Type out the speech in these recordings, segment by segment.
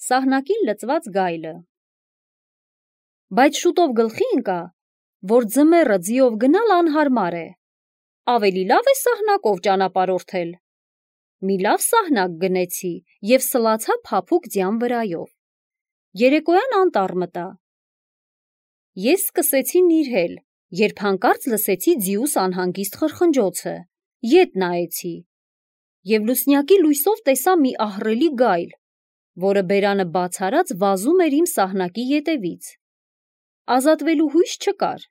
Սահնակին լծված գայլը։ Բայց շուտով գլխի ընկա, որ ձմեռը ձիով գնալ անհարմար է, ավելի լավ է սահնակով ճանապարհորդել։ Մի լավ սահնակ գնեցի և սլացա փափուկ ձյան վրայով։ Երեկոյան անտառ մտա։ Ես սկսեցի նիրհել, երբ հանկարծ լսեցի ձիուս անհանգիստ խրխնջոցը, ետ նայեցի և լուսնյակի լույսով տեսա մի ահռելի գայլ, որը բերանը բաց արած վազում էր իմ սահնակի ետևից։ Ազատվելու հույս չկար։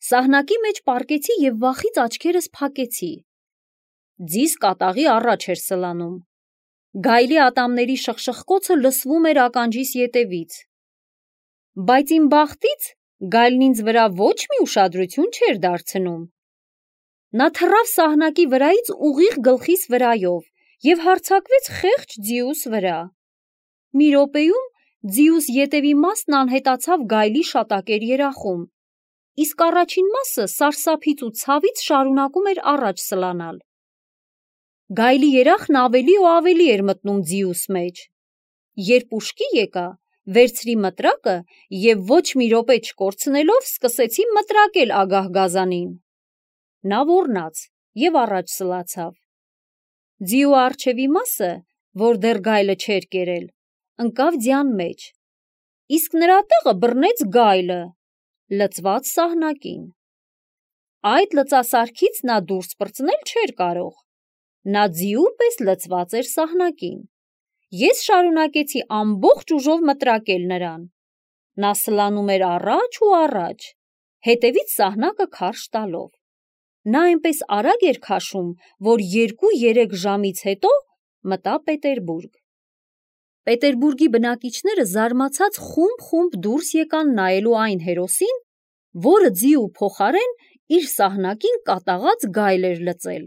Սահնակի մեջ պառկեցի և վախից աչքերս փակեցի։ Ձիս կատաղի առաջ էր սլանում։ Գայլի ատամների շխշխկոցը լսվում էր ականջիս ետևից։ Բայց իմ բախտից գայլն ինձ վրա ոչ մի ուշադրություն չէր դարձնում։ Նա թռավ սահնակի վրայից ուղիղ գլխիս վրայով և հարձակվեց խեղճ ձիուս վրա։ Մի րոպեում ձիուս ետևի մասն անհետացավ գայլի շատակեր երախում, իսկ առաջին մասը սարսափից ու ցավից շարունակում էր առաջ սլանալ։ Գայլի երախն ավելի ու ավելի էր մտնում ձիուս մեջ։ Երբ ուշքի եկա, վերցրի մտրակը և ոչ մի րոպե չկորցնելով սկսեցի մտրակել ագահ գազանին։ Նա ոռնաց և առաջ սլացավ։ Ձիու առջևի մասը, որ դեռ գայլը չէր կերել, ընկավ ձյան մեջ, իսկ նրա տեղը բռնեց գայլը, լծված սահնակին։ Այդ լծասարքից նա դուրս պրծնել չէր կարող։ Նա ձիու պես լծված էր սահնակին։ Ես շարունակեցի ամբողջ ուժով մտրակել նրան։ Նա սլանում էր առաջ ու առաջ, հետևից սահնակը քարշ տալով։ Նա այնպես արագ էր քաշում, որ 2-3 ժամից հետո մտա Պետերբուրգ։ Պետերբուրգի բնակիչները զարմացած խումբ դուրս եկան նայելու այն հերոսին, որը ձիու փոխարեն իր սահնակին կատաղած գայլ էր լծել։